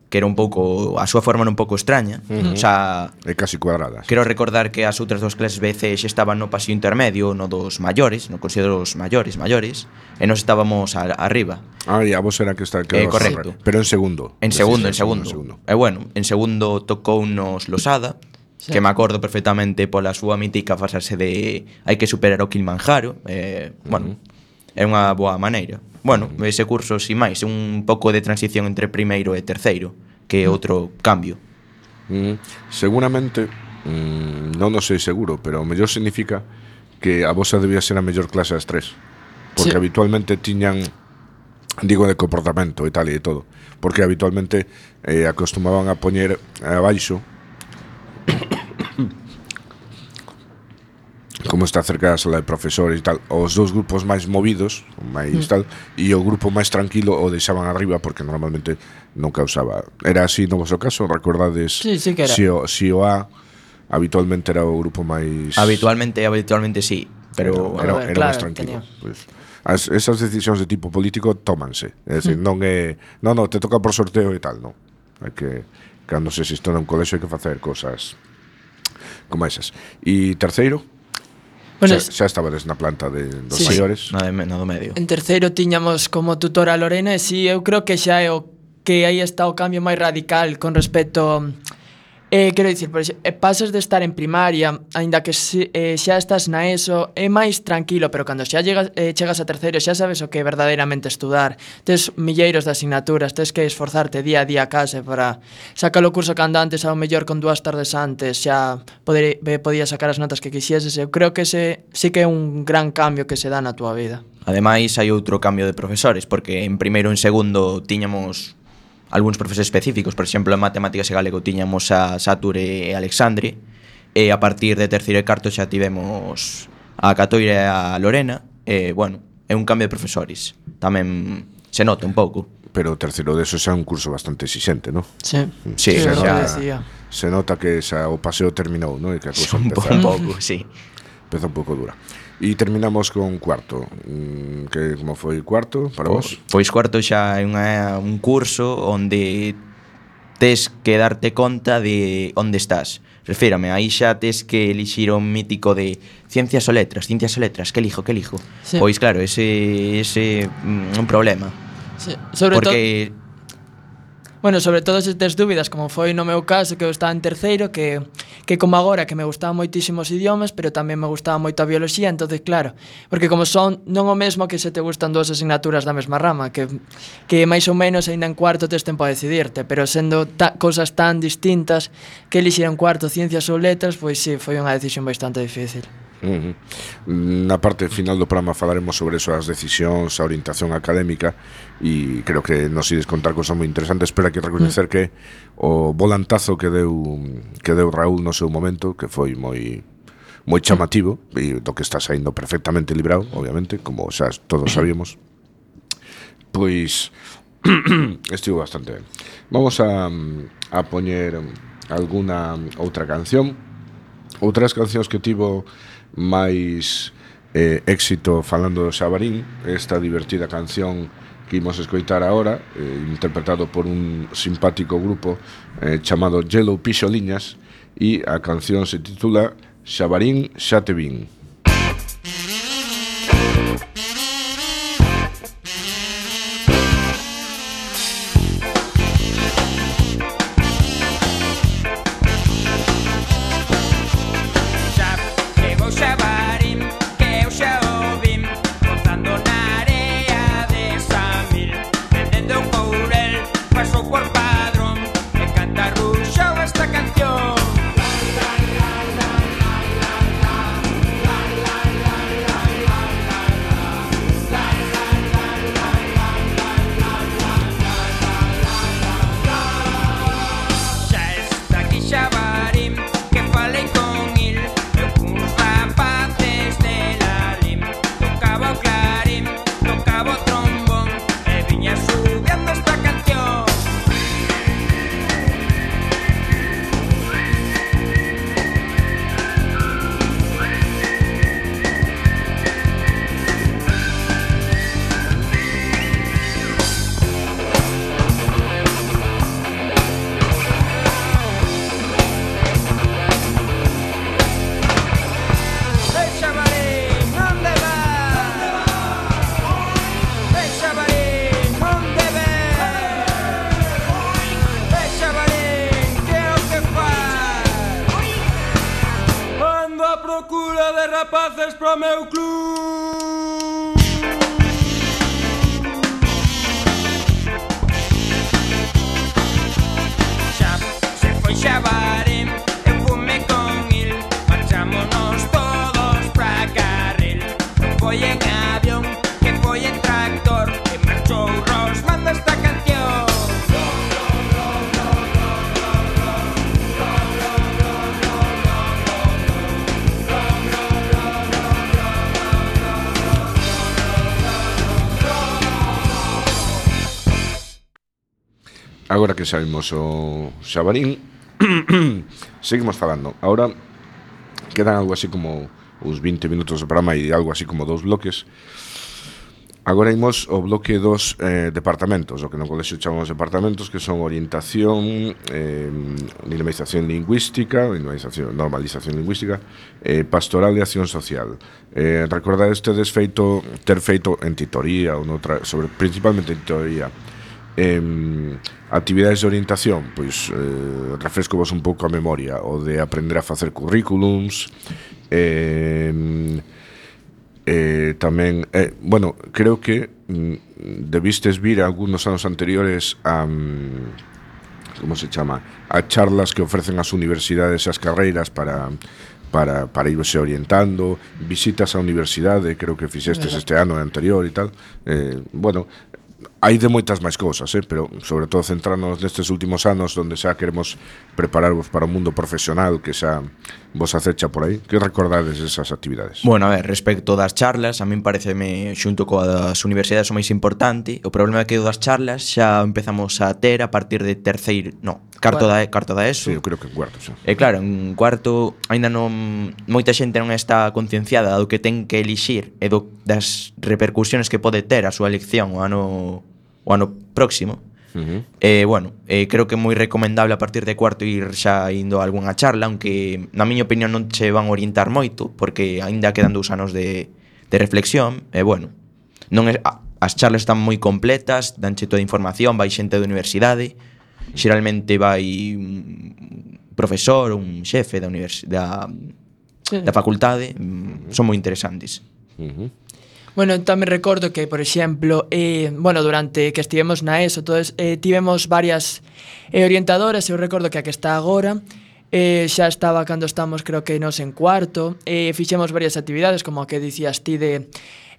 que era un pouco, a súa forma era un pouco extraña. Uh-huh. O sea, É casi cuadradas. quero recordar que as outras dos clases B C xa estaban no pasillo intermedio, no dos maiores, no considero os maiores, maiores, e nos estábamos a, arriba. Ah, e a vos era que está que Eh, vas a correcto. correr. Pero en segundo. En Decís, segundo, en segundo. segundo. E bueno, en segundo tocounos Losada, Sí. que me acordo perfectamente pola súa mítica frase de hai que superar o Kilimanjaro, eh, bueno, é unha boa maneira. Bueno, ese curso, sin máis, un pouco de transición entre primeiro e terceiro, que é outro cambio. Mm, seguramente, mm, non o sei seguro, pero o mellor significa que a vosa debía ser a mellor clase das tres. Porque Sí. habitualmente tiñan, digo, de comportamento e tal e todo, porque habitualmente eh, acostumaban a poñer abaixo como está cerca da sala de profesores e tal, os dous grupos máis movidos, máis tal, e o grupo máis tranquilo o deixaban arriba porque normalmente non causaba. Era así no voso caso, recordades? Sí, sí que era. Si o, si o A habitualmente era o grupo máis... Habitualmente, habitualmente sí, pero Era, Bueno, era, era claro, máis tranquilo. tenía- Pues, as, esas decisións de tipo político tómanse. É dicir, non é... Non, non, te toca por sorteo e tal, non. Hai que... Cando se existe nun colexo hai que facer cosas como esas. E terceiro, Bueno, xa, xa estabades na planta de, dos Sí. maiores. nada, de- nada do medio. En terceiro tiñamos como tutora a Lorena e si, eu creo que xa é o que aí está o cambio máis radical con respecto eh, quero dicir, por exemplo, pasas de estar en primaria, aínda que se, eh, xa estás na ESO, é máis tranquilo, pero cando xa llegas, eh, chegas a terceiro xa sabes o que é verdadeiramente estudar. Tes milleiros de asignaturas, tes que esforzarte día a día case para sacar o curso cando antes, ao mellor con dúas tardes antes xa poder, eh, podías sacar as notas que quixeses. Eu creo que ese sí que é un gran cambio que se dá na túa vida. Ademais, hai outro cambio de profesores, porque en primeiro e en segundo tiñamos algúns profesores específicos. Por exemplo, en matemáticas e galego tiñamos a Sature e Alexandre, e a partir de terceiro e cuarto xa tivemos a Catoira e a Lorena, e, bueno, é un cambio de profesores. Tamén se nota un pouco. Pero o terceiro deso xa é un curso bastante exixente, non? Sí, Sí, é xa- o que xa- decía. Se nota que xa o paseo terminou, non? E que a cousa Un, po- empeza, un pouco, sí. empeza un pouco dura. E terminamos con cuarto. Mm, que como foi cuarto para vos? Pois cuarto xa é unha, un curso onde tes que darte conta de onde estás. Refírame, aí xa tes que elixir o mítico de ciencias ou letras, ciencias ou letras, que elijo, que elijo. Sí. Pois claro, ese ese mm, un problema. Sí, sobre todo, Porque bueno, sobre todo se tes dúbidas, como foi no meu caso, que eu estaba en terceiro, que, que como agora, que me gustaban moitísimos idiomas, pero tamén me gustaba moito a bioloxía, entonces claro, porque como son non o mesmo que se te gustan dúas asignaturas da mesma rama, que, que máis ou menos aínda en cuarto tes tempo a decidirte, pero sendo ta, cousas tan distintas, que elixir en cuarto ciencias ou letras, pois sí, foi unha decisión bastante difícil. Uh -huh. Na parte final do programa falaremos sobre eso, as decisións, a orientación académica, e creo que nos ides contar cosas moi interesantes. Pero hai que recoñecer mm. que o volantazo que deu que deu Raúl no seu momento, que foi moi moi chamativo, e do que está saindo perfectamente librado, obviamente, como xa todos sabíamos, pois estivo bastante ben. Vamos a, a poñer alguna outra canción. Outras cancións que tivo máis eh, éxito falando do Xabarín, esta divertida canción que imos escoitar agora, eh, interpretado por un simpático grupo eh, chamado Yellow Pixoliñas, e a canción se titula Xabarín, xa te vin. Rapaces pro meu club. Xa se foi Xabarín, eu fume con il, marchámonos todos pra Carril. Non foi en avión, que foi en tractor, que marchou Ros manda esta canción. Agora que sabemos o Xabarín, Seguimos falando. Ahora quedan algo así como uns vinte minutos de programa e algo así como dous bloques. Agora imos ao bloque dos eh, departamentos, o que no colexio chamamos departamentos, que son orientación, eh, dinamización lingüística, dinamización, normalización lingüística, eh, pastoral e acción social. Eh, recordades tedes feito, ter feito en titoría, ou noutra, sobre, principalmente en titoría, eh, actividades de orientación, pois eh, refresco vos un pouco a memoria, o de aprender a facer currículums, eh, Eh, tamén, eh, bueno, creo que mm, debistes vir algunos anos anteriores a mm, como se chama, a charlas que ofrecen as universidades e as carreiras para para, para irse orientando, visitas á universidade, creo que fixestes este ano e anterior e tal. Eh, bueno, hai de moitas máis cousas, eh, pero sobre todo centrarnos nestes últimos anos onde xa queremos prepararvos para o mundo profesional que xa vos acecha por aí. Que recordades esas actividades? Bueno, a ver, respecto das charlas, a min pareceme xunto coa das universidades o máis importante. O problema é que o das charlas xa empezamos a ter a partir de terceiro, no, carto da carto da ESO. Sí, eu creo que en cuarto, xa. E claro, en cuarto aínda non moita xente non está concienciada do que ten que elixir e do, das repercusións que pode ter a súa elección o ano o ano próximo. Uh-huh. Eh, bueno, eh, creo que é moi recomendable a partir de cuarto ir xa indo a algunha charla, aunque na miña opinión non che van a orientar moito, porque aínda quedan dous anos de, de reflexión. E eh, bueno, non é, a, as charlas están moi completas, danche toda a información, vai xente da universidade, xeralmente vai un profesor, un xefe da, univers, da, sí. da facultade, son moi interesantes. Uh-huh. Bueno, tamén recordo que, por exemplo, eh, bueno, durante que estivemos na ESO, todos, eh, tivemos varias eh, orientadoras. Eu recordo que a que está agora eh, xa estaba cando estamos, creo que nos en cuarto. Eh, fixemos varias actividades, como a que dicías ti de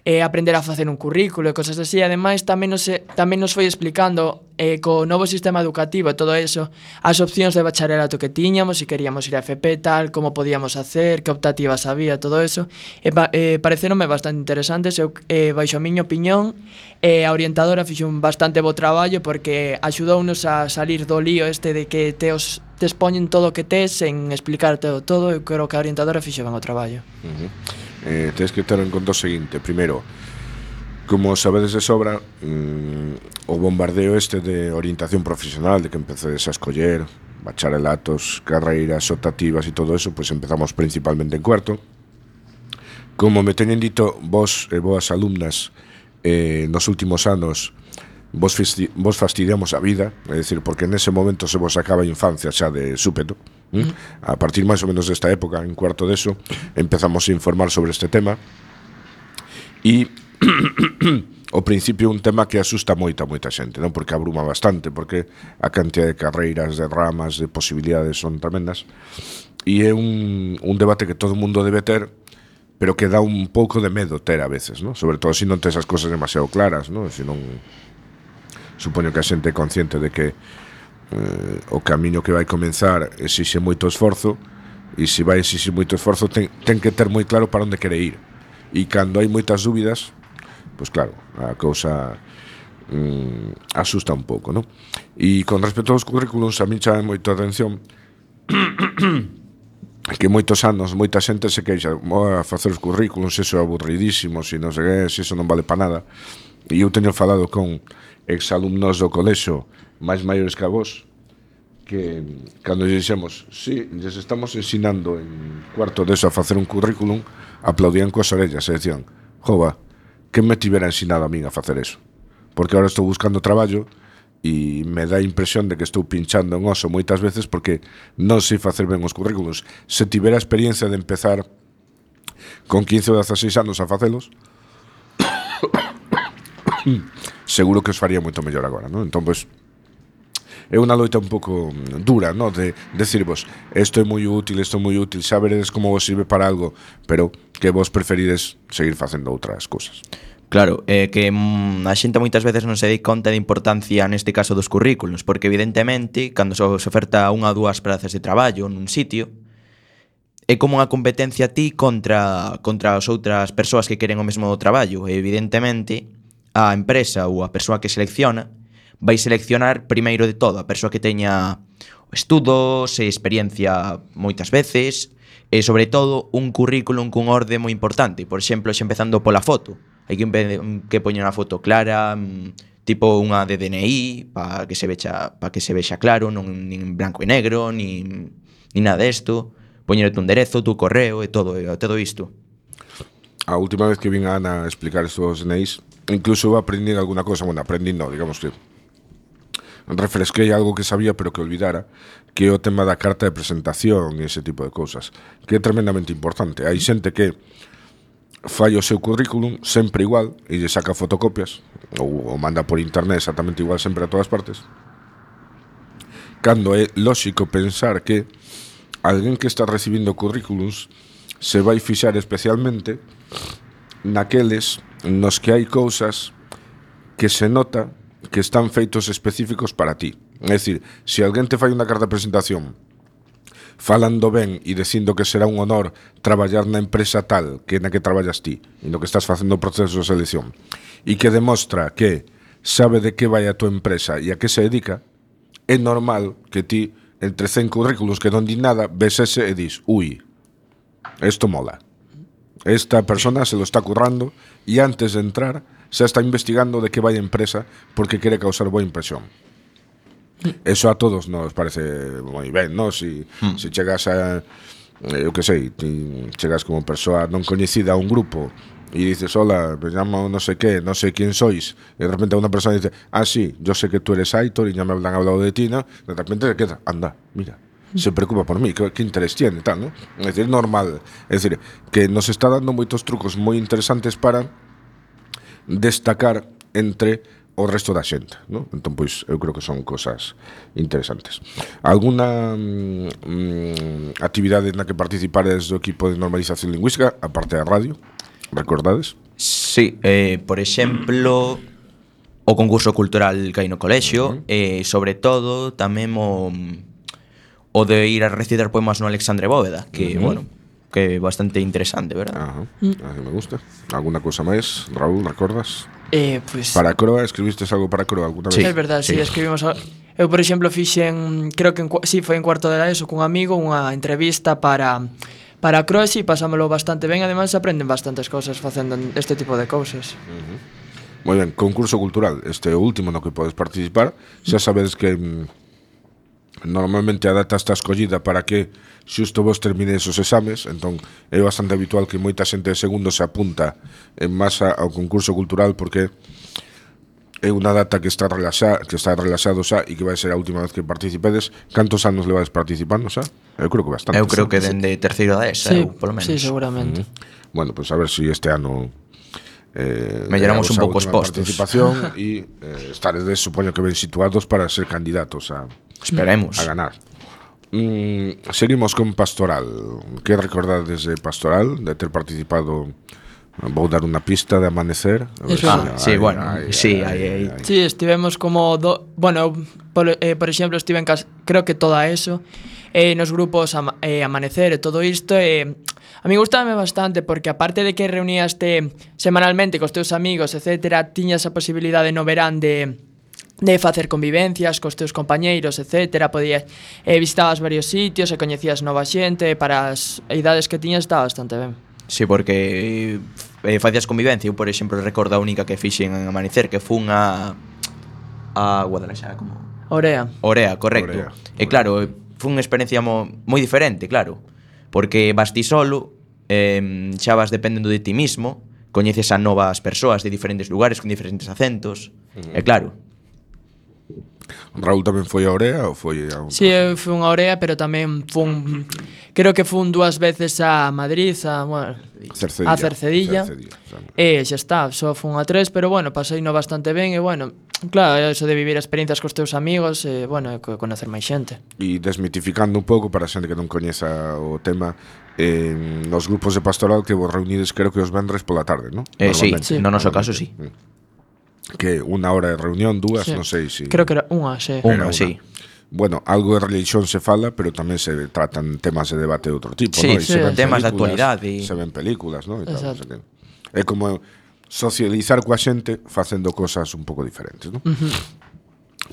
eh, aprender a facer un currículo e cosas así. Ademais, tamén nos, tamén nos foi explicando eh, co novo sistema educativo e todo eso, as opcións de bacharelato que tiñamos, se queríamos ir a F P tal, como podíamos hacer, que optativas había, todo eso. E pa, eh, pareceronme bastante interesantes. Eu, eh, baixo a miña opinión, eh, a orientadora fixo un bastante bo traballo porque axudounos a salir do lío este de que te os te expoñen todo o que tes sen explicarte todo. Eu creo que a orientadora fixo ben o traballo. Uh-huh. Eh, tens que ter en conta o seguinte. Primeiro, como sabedes de sobra, mm, o bombardeo este de orientación profesional, de que empeces a escoller bacharelatos, carreiras, optativas e todo eso, pois pues empezamos principalmente en cuarto. Como me teñen dito vos e boas alumnas, eh, nos últimos anos vos, fisti- vos fastidiamos a vida, é dicir, porque nese momento se vos acaba a infancia xa de súpeto. ¿Mm? A partir máis ou menos desta época, en cuarto deso, empezamos a informar sobre este tema e ao principio un tema que asusta moita, moita xente, non? Porque abruma bastante, porque a cantidad de carreiras, de ramas, de posibilidades son tremendas, e é un, un debate que todo o mundo debe ter, pero que dá un pouco de medo ter a veces, non? Sobre todo se non tes as cousas demasiado claras, non? Se non, supoño que a xente é consciente de que eh, o camiño que vai comenzar exixe moito esforzo, e se vai exixir moito esforzo ten, ten que ter moi claro para onde quere ir, e cando hai moitas dúbidas, pois claro, a cousa mm, asusta un pouco, non? E con respecto aos currículums, a mí chama moito a atención que moitos anos moita xente se queixa a facer os currículums, eso é aburridísimo, se non sei que, se eso non vale para nada. E eu teño falado con exalumnos do colexio máis maiores que a vos, que cando lle dixemos, sí, lles estamos ensinando en cuarto deso a facer un currículum, aplaudían coas orellas e decían, jova, que me tivera ensinado a min a facer eso, porque agora estou buscando traballo e me dá a impresión de que estou pinchando en oso moitas veces porque non sei facer ben os currículums. Se tivera a experiencia de empezar con quince ou dezaseis anos a facelos, seguro que os faría moito mellor agora, non? Entón, pois, é unha loita un pouco dura, non? De decirvos, isto é moi útil, isto é moi útil, xa veredes como vos sirve para algo, pero que vos preferides seguir facendo outras cousas. Claro, é que mm, a xente moitas veces non se dai conta de importancia neste caso dos currículos, porque evidentemente, cando se oferta unha ou dúas prazas de traballo nun sitio, é como unha competencia a ti contra, contra as outras persoas que queren o mesmo traballo, e evidentemente a empresa ou a persoa que selecciona vai seleccionar primeiro de todo a persoa que teña estudos e experiencia moitas veces, e sobre todo un currículum cun orde moi importante. Por exemplo, xa empezando pola foto. Hai que, que poñer unha foto clara, tipo unha de D N I, para que se vexa, para que se vexa claro, non nin branco e negro, nin, nin nada desto. Poñerte un derezo, tu correo e todo, e todo isto. A última vez que vin a Ana a explicar estos D N Is, incluso aprendí alguna cosa, bueno, aprendí no, digamos que refresquei algo que sabía pero que olvidara, que é o tema da carta de presentación e ese tipo de cousas, que é tremendamente importante. Hai xente que fai o seu currículum sempre igual e lle saca fotocopias ou o manda por internet exactamente igual sempre a todas partes, cando é lóxico pensar que alguén que está recibindo currículums se vai fixar especialmente naqueles nos que hai cousas que se nota que están feitos específicos para ti. É dicir, se alguén te fai unha carta de presentación falando ben e dicindo que será un honor traballar na empresa tal que na que traballas ti e no que estás facendo o proceso de selección e que demostra que sabe de que vai a tua empresa e a que se dedica, é normal que ti, entre cen currículos que non di nada, ves ese e dis, ui, esto mola, esta persona se lo está currando e antes de entrar xa está investigando de que vai a empresa porque quere causar boa impresión. Eso a todos nos parece moi ben, non? Si, mm. si chegas a, eu que sei, ti chegas como persoa non coñecida a un grupo e dices, hola, me llamo no sé qué, no sé quién sois, e de repente unha persona dice, ah, sí, yo sé que tú eres Aitor e ya me han hablado de ti, ¿no? De repente se queda, anda, mira, se preocupa por mí, ¿qué, qué interés tiene, tal, ¿no? Es decir, normal, es decir, que nos está dando moitos trucos moi interesantes para destacar entre o resto da xente, ¿no? Entón, pois, eu creo que son cosas interesantes. Alguna mm, actividade na que participades do equipo de normalización lingüística, aparte da radio, recordades? Sí, eh, por exemplo, o concurso cultural que hai no colexio, uh -huh. e sobre todo tamén o, o de ir a recitar poemas no Alexandre Bóveda, que, uh -huh. bueno, que é bastante interesante, verdad? Ajá, mm. a mí me gusta. Alguna cosa máis, Raúl, recordas? Eh, pues, para Croa, escribiste algo para Croa alguna vez? Sí, é verdade, sí, sí, escribimos a... Eu, por exemplo, fixen, creo que en, sí, foi en cuarto de la ESO cun amigo, unha entrevista para para Croa, sí, pasámoslo bastante ben, ademais aprenden bastantes cousas facendo este tipo de cousas. Uh -huh. Moi ben, concurso cultural, este último no que podes participar, xa sabedes que mm, normalmente a data está escollida para que xusto vos terminedes os exames, entón é bastante habitual que moita xente de segundo se apunta en masa ao concurso cultural porque é unha data que está relaxada, que está relaxado xa e que vai ser a última vez que participedes. Cantos anos levades participando xa? Eu creo que bastante. Eu creo que dende terceiro da ESA, sí, eu, polo menos. Sí, seguramente. Uh -huh. Bueno, pues a ver si este ano eh, melloramos un pouco os postos. Participación e eh, estaredes, supoño que ben situados para ser candidatos a Esperemos. a ganar. Mm, seguimos con Pastoral. Que recordades de Pastoral, de ter participado? Vou dar unha pista de Amanecer. Ah, sí, ay, bueno, ay, sí, aí, aí. Sí, estivemos como do, bueno, por, eh, por exemplo, estive en casa, creo que toda eso, eh, nos grupos ama, eh, Amanecer e todo isto, eh, a mí gustame bastante porque aparte de que reuníaste semanalmente cos teus amigos, etcétera, tiñas a posibilidade no verán de de facer convivencias cos teus compañeiros, etcétera, podías eh, visitabas varios sitios e coñecías nova xente, para as idades que tiñas estaba bastante ben. Sí, porque eh, facías convivencia. Eu, por exemplo, recordo a única que fixen en Amanecer, que fun a a Guadalajara, como Orea. Orea, correcto. Orea. E claro, foi unha experiencia mo, moi diferente, claro, porque vas ti solo, eh, xa vas dependendo de ti mismo, coñeces a novas persoas de diferentes lugares con diferentes acentos, uh -huh. e claro. Raúl tamén foi a Orea ou foi a un... Sí, eu fui a Orea, pero tamén fun, creo que fun dúas veces a Madrid, a, bueno, Cercedilla, a Cercedilla, Cercedilla e xa está, só fun a tres, pero bueno, pasei no bastante ben e bueno, claro, eso de vivir experiencias cos teus amigos e bueno, e conocer máis xente. E desmitificando un pouco para a xente que non coñeza o tema, eh, nos grupos de Pastoral que vos reunides creo que os vendres pola tarde, ¿no? Eh, sí, sí, no noso caso sí. Que unha hora de reunión, dúas, sí. non sei si... Creo que era unha, sí. Unha, sí. Bueno, algo de religión se fala, pero tamén se tratan temas de debate de outro tipo, sí, ¿no? Sí, se ven temas de actualidade e... Se ven películas, ¿no? E tal, exacto. É como socializar coa xente facendo cosas un pouco diferentes, ¿no? Uh -huh.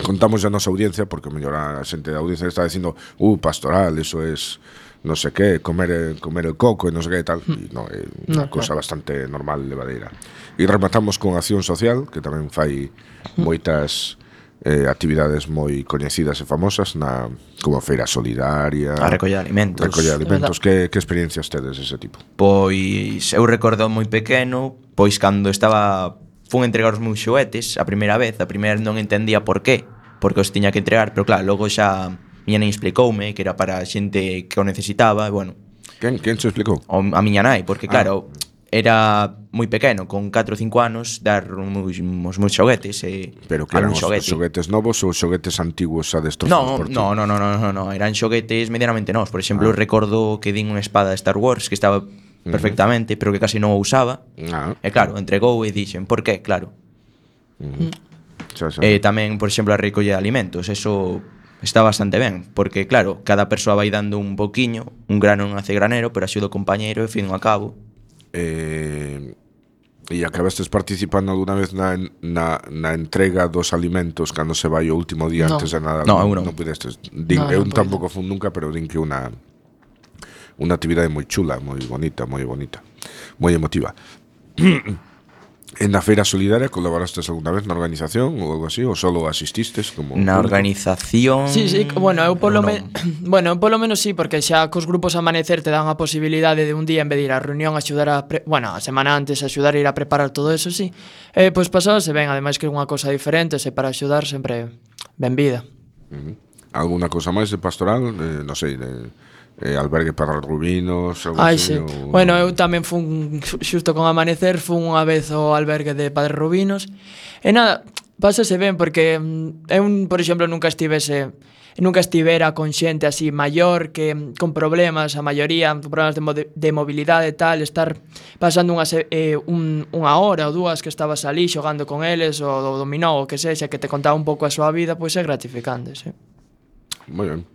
contamos a nosa audiencia, porque mellor a xente da audiencia está dicindo, uh, pastoral, eso es no sé qué, comer comer el coco e non sei que tal, e non, é unha No, cosa bastante normal, levadeira. E rematamos con Acción Social, que tamén fai moitas eh, actividades moi coñecidas e famosas na como a Feira Solidaria, A recoller alimentos. recoller alimentos. Que, que experiencias tedes dese tipo? Pois eu recordo moi pequeno, pois cando estaba fun entregar os meus xoguetes a primeira vez, a primeira non entendía por qué, porque os tiña que entregar, pero claro, logo xa miña nai explicoume que era para a xente que o necesitaba, e bueno, Quen, quen se explicou? o, a miña nai, porque claro, era moi pequeno, con catro ou cinco anos, dar os meus, os meus xoguetes e Pero que eran algún os xoguete. xoguetes novos ou xoguetes antiguos a destrozados No, por ti? no, no, no, no, no, no, eran xoguetes medianamente novos. Por exemplo, Ah. recordo que din unha espada de Star Wars que estaba perfectamente, pero que casi non o usaba. Ah, E claro, entregou e dixen, por qué? Claro. xa, xa. E tamén, por exemplo, a recolle de alimentos, eso está bastante ben, porque claro, cada persoa vai dando un poquiño, un grano non hace granero, pero axuda o compañeiro e fin ao cabo. Eh, e acabastes participando alguna vez na, na, na entrega dos alimentos cando se vai o último día No. antes de nada? No, eu non. non pudestes. Din, No, eu non tampouco fun nunca, pero din que unha unha actividade moi chula, moi bonita, moi bonita, moi emotiva. En na Feira Solidaria colaborastes alguna vez na organización ou algo así, ou solo asististes como Na público? organización... Sí, sí, bueno, eu polo non. menos bueno, eu polo menos sí, porque xa cos grupos Amanecer te dan a posibilidade de un día en vez de ir á reunión axudar a, pre... bueno, a semana antes axudar a ir a preparar todo eso, sí. Eh, pois pasábase ben, ademais que é unha cousa diferente, se para axudar sempre ben vida. Ujú. Alguna cousa máis de pastoral? Eh, non sei, de eh, albergue para rubinos, algo Ai, así? sí. Ou... Bueno, eu tamén fun xusto con Amanecer, fun unha vez ao albergue de Padre Rubinos. E nada, pásase ben porque mm, eu, por exemplo, nunca estivese nunca estivera con xente así maior que mm, con problemas, a maioría con problemas de, mo de mobilidade e tal, estar pasando unha, se- eh, un, unha hora ou dúas que estabas ali xogando con eles ou do dominó ou que sexa, que te contaba un pouco a súa vida, pois é gratificante, sí. Moi ben.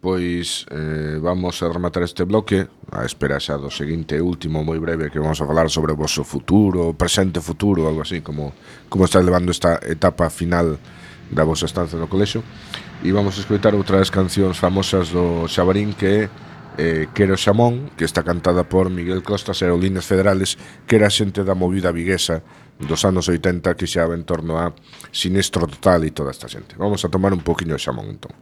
Pois eh, vamos a rematar este bloque a espera xa do seguinte e último moi breve que vamos a falar sobre o vosso futuro, presente futuro, algo así, como como está levando esta etapa final da vosa estancia no colexio. E vamos a escoitar outra das cancións famosas do Xabarín que é eh, Quero Xamón, que está cantada por Miguel Costas e Aerolíneas Federales, que era xente da movida viguesa dos anos oitenta que xa en torno a Sinistro Total e toda esta xente. Vamos a tomar un poquinho de xamón entón.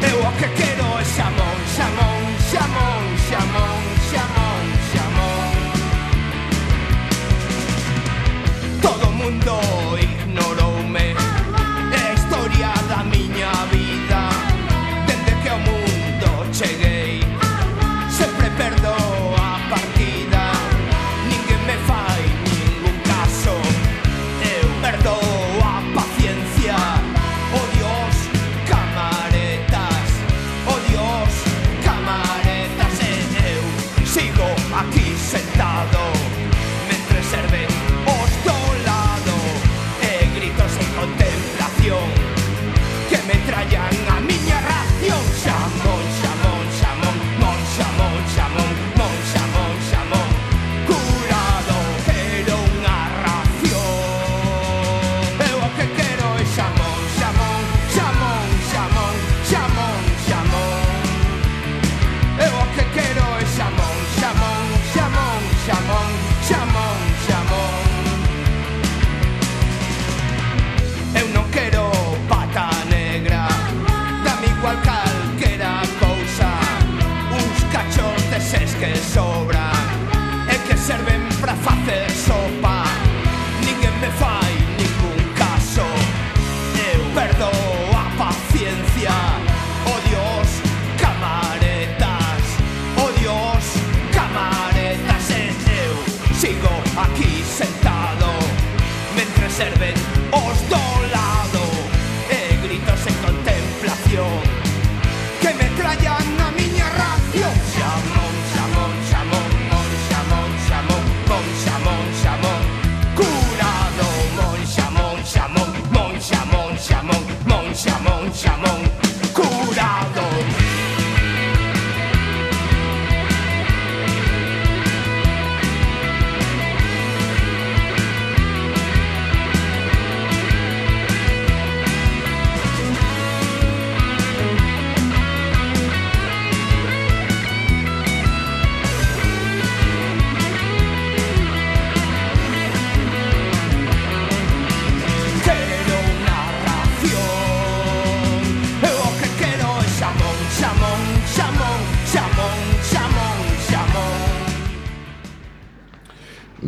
Eu o que quero é xamón, xamón, xamón, xamón, xamón, xamón. Todo o mundo ignoroume, é a historia da miña vida. Dende que ao mundo cheguei, sempre perdo a partida. Ninguén me fai ningún caso,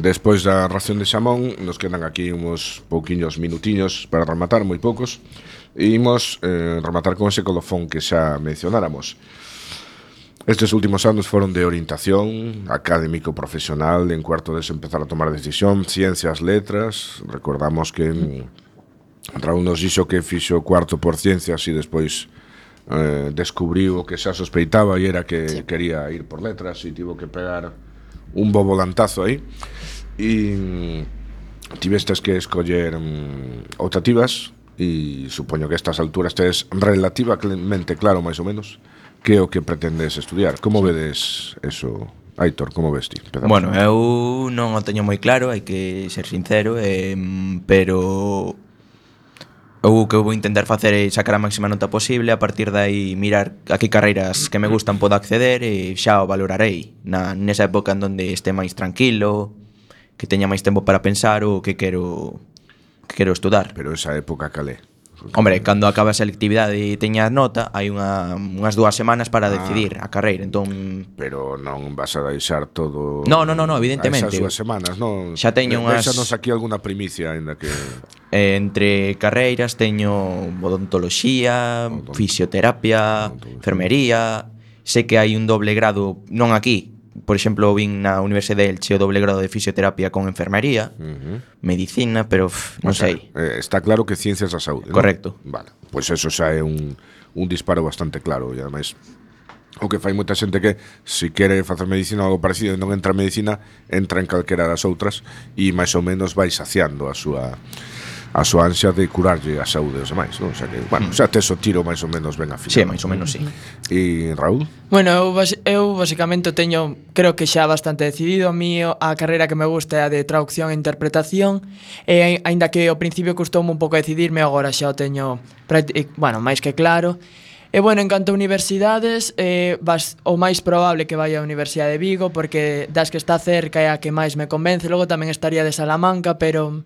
Despois da ración de xamón, nos quedan aquí uns pouquiños minutiños para rematar, moi poucos. E imos eh, rematar con ese colofón que xa mencionáramos. Estes últimos anos foron de orientación académico profesional, en cuarto de empezar a tomar decisión, ciencias, letras. Recordamos que Raúl nos dixo que fixo cuarto por ciencias e despois eh, descubriu o que xa sospeitaba e era que sí. quería ir por letras e tivo que pegar un bo volantazo aí e tivestes que escoller um, optativas e supoño que a estas alturas tes relativamente claro máis ou menos que é o que pretendes estudiar. Como vedes eso, Aitor, como ves ti? Empezamos. Bueno, eu non o teño moi claro, hai que ser sincero, eh, pero eu que vou intentar facer é sacar a máxima nota posible, a partir de aí mirar a que carreiras que me gustan podo acceder e xa o valorarei na, nesa época en donde este máis tranquilo, que teña máis tempo para pensar o que quero que quero estudar. Pero esa época calé? Hombre, cando acaba a selectividade e teñas nota, hai unha, unhas dúas semanas para decidir ah, a carreira, entón... Pero non vas a deixar todo... No, no, no, no, evidentemente. Esas dúas semanas, non? Xa teño unhas... Deixanos aquí alguna primicia, ainda que... Eh, entre carreiras teño odontoloxía, Odont... fisioterapia, Odont... enfermería... Sei que hai un doble grado, non aquí, por exemplo, vin na Universidade de Elche o doble grado de fisioterapia con enfermería, uh-huh. medicina, pero uf, non o sea, sei. Eh, está claro que ciencias da saúde, correcto. ¿no? Vale, pois pues eso xa é un, un disparo bastante claro e ademais o que fai moita xente que se quere facer medicina ou algo parecido e non entra en medicina, entra en calquera das outras e máis ou menos vai saciando a súa a súa ansia de curarlle a saúde aos demais, non? O sea que, bueno, xa tes o tiro máis ou menos ben afilado. Sí, máis ou menos, sí. E Raúl? Bueno, eu, eu basicamente teño, creo que xa bastante decidido. A mí a carreira que me gusta é a de traducción e interpretación, e aínda que ao principio custoume un pouco decidirme, agora xa o teño, bueno, máis que claro. E bueno, en canto a universidades, eh, vas, o máis probable que vaya á Universidade de Vigo, porque das que está cerca é a que máis me convence. Logo tamén estaría de Salamanca, pero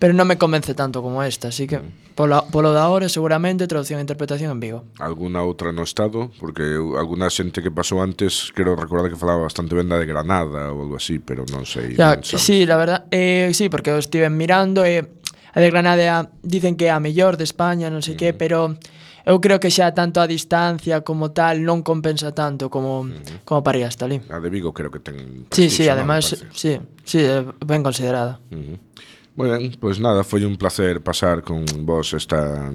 pero non me convence tanto como esta, así que polo, polo da hora seguramente traducción e interpretación en Vigo. Alguna outra no estado? Porque eu, alguna xente que pasou antes, quero recordar que falaba bastante ben da de Granada ou algo así, pero non sei. Ya, non sí, la verdad, eh, sí, porque eu estive mirando e eh, a de Granada dicen que é a mellor de España, non sei uh-huh. que, pero eu creo que xa tanto a distancia como tal non compensa tanto como uh-huh. como para ir hasta ali. A de Vigo creo que ten Sí, sí, además, sí, sí, ben considerada. Uh-huh. Moi ben, pois pues nada, foi un placer pasar con vos esta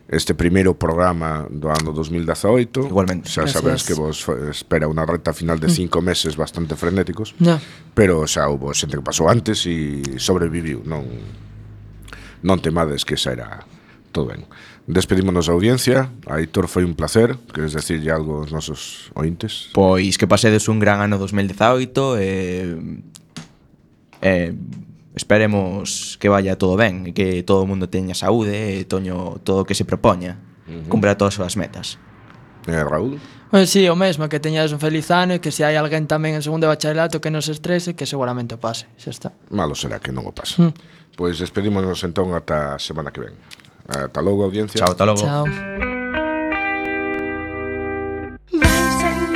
este primeiro programa do ano dos mil dezaoito. Igualmente. Xa sabedes que vos espera unha recta final de cinco meses bastante frenéticos, no. pero xa houve xente que pasou antes e sobreviviu, non non temades que xa era todo ben. Despedímonos da audiencia. Aitor, foi un placer. Queres decirlle algo aos nosos ointes? Pois que pasedes un gran ano dos mil dezaoito e eh, esperemos que vaya todo ben e que todo o mundo teña saúde e toño todo o que se propoña, uh-huh. cumpra todas as súas metas. Eh, Raúl? Pois sí, o mesmo, que teñades un feliz ano e que se hai alguén tamén en segundo de bacharelato que non se estrese, que seguramente o pase, xa está. Malo será que non o pase. Mm. Pois despedímonos entón ata a semana que ven. Ata logo, audiencia. Chao, ata logo. Chao.